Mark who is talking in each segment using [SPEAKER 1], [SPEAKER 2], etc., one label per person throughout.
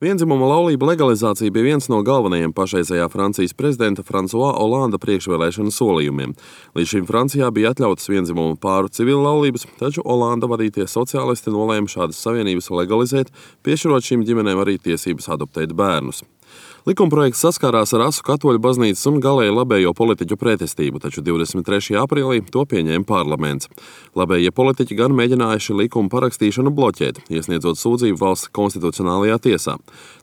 [SPEAKER 1] Vienzimuma laulību legalizācija bija viens no galvenajiem pašreizējā Francijas prezidenta François Hollanda priekšvēlēšanu solījumiem. Līdz šim Francijā bija atļautas vienzimuma pāru civila laulības, taču Hollanda vadītie sociālisti nolēma šādas savienības legalizēt, piešķirot šīm ģimenēm arī tiesības adoptēt bērnus. Likumprojekts saskārās ar asu katoļu baznīcas un galēji labējo politiķu pretestību, taču 23. aprīlī to pieņēma parlaments. Labējie politiķi gan mēģinājuši likuma parakstīšanu bloķēt, iesniedzot sūdzību valsts konstitucionālajā tiesā.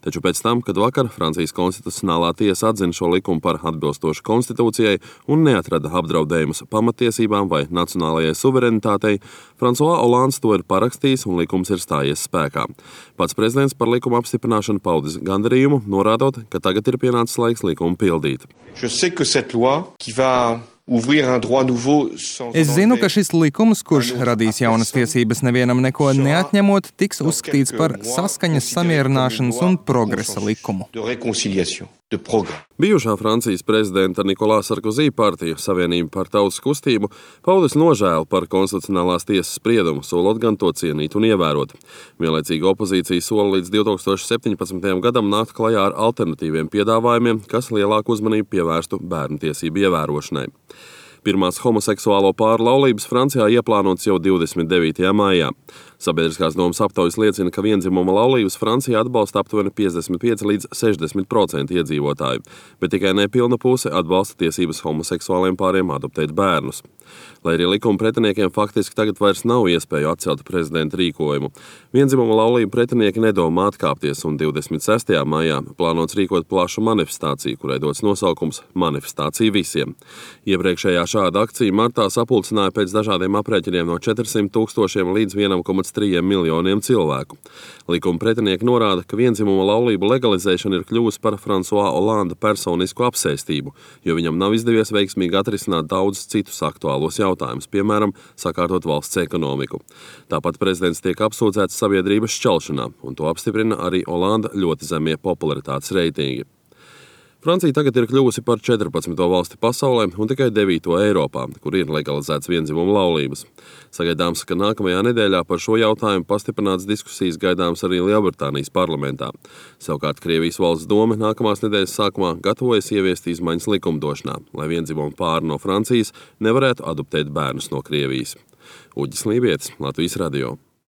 [SPEAKER 1] Taču pēc tam, kad vakar Francijas konstitucionālā tiesa atzina šo likumu par atbilstošu konstitūcijai un neatrada apdraudējumus pamatiesībām vai nacionālajai suverenitātei, François Hollands to ir parakstījis un likums ir stājies spēkā. Pats prezidents par likuma apstiprināšanu paudis gandarījumu, norādot, ka tagad ir pienācis laiks likumu pildīt.
[SPEAKER 2] Es zinu, ka šis likums, kurš radīs jaunas tiesības nevienam neko neatņemot, tiks uzskatīts par saskaņas, samierināšanas un progresa likumu.
[SPEAKER 1] Bijušā Francijas prezidenta Nicolas Sarkozy partija Savienība par tautas kustību paudis nožēlu par konstitucionālās tiesas spriedumu, solot gan to cienīt un ievērot. Vienlaicīgi opozīcija sola līdz 2017. gadam nākt klajā ar alternatīviem piedāvājumiem, kas lielāku uzmanību pievērstu bērnu tiesību ievērošanai. Pirmās homoseksuālo pāru laulības Francijā ieplānotas jau 29. maijā. Sabiedriskās domas aptaujas liecina, ka vienzimuma laulības Francijā atbalsta aptuveni 55 līdz 60% iedzīvotāju, bet tikai nepilna puse atbalsta tiesības homoseksuāliem pāriem adoptēt bērnus. Lai arī likuma pretiniekiem faktiski tagad vairs nav iespēju atcelt prezidenta rīkojumu, vienzimuma laulību pretinieki nedomā atkāpties, un 26. maijā plānots rīkot plašu manifestāciju, kurai dots nosaukums Manifestācija visiem. Iepriekšējā šāda akcija martā sapulcināja pēc dažādiem aprēķiniem no 400 000 līdz 1,3 miljoniem cilvēku. Likuma pretinieki norāda, ka vienzimuma laulību legalizēšana ir kļuvusi par François Hollanda personisku apsēstību, jo viņam nav izdevies veiksmīgi atrisināt daudzus citus aktuālos jautājumus, piemēram, sakārtot valsts ekonomiku. Tāpat prezidents tiek apsūdzēts sabiedrības šķelšanā, un to apstiprina arī Hollanda ļoti zemie popularitātes reitingi. Francija tagad ir kļuvusi par 14. valsti pasaulē un tikai 9. Eiropā, kur ir legalizēts vienzimuma laulības. Sagaidāms, ka nākamajā nedēļā par šo jautājumu pastiprināts diskusijas gaidāms arī Lielbritānijas parlamentā. Savukārt Krievijas valsts doma nākamās nedēļas sākumā gatavojas ieviest izmaiņas likumdošanā, lai vienzimuma pāri no Francijas nevarētu adoptēt bērnus no Krievijas. Uģis Lībietis, Latvijas radio.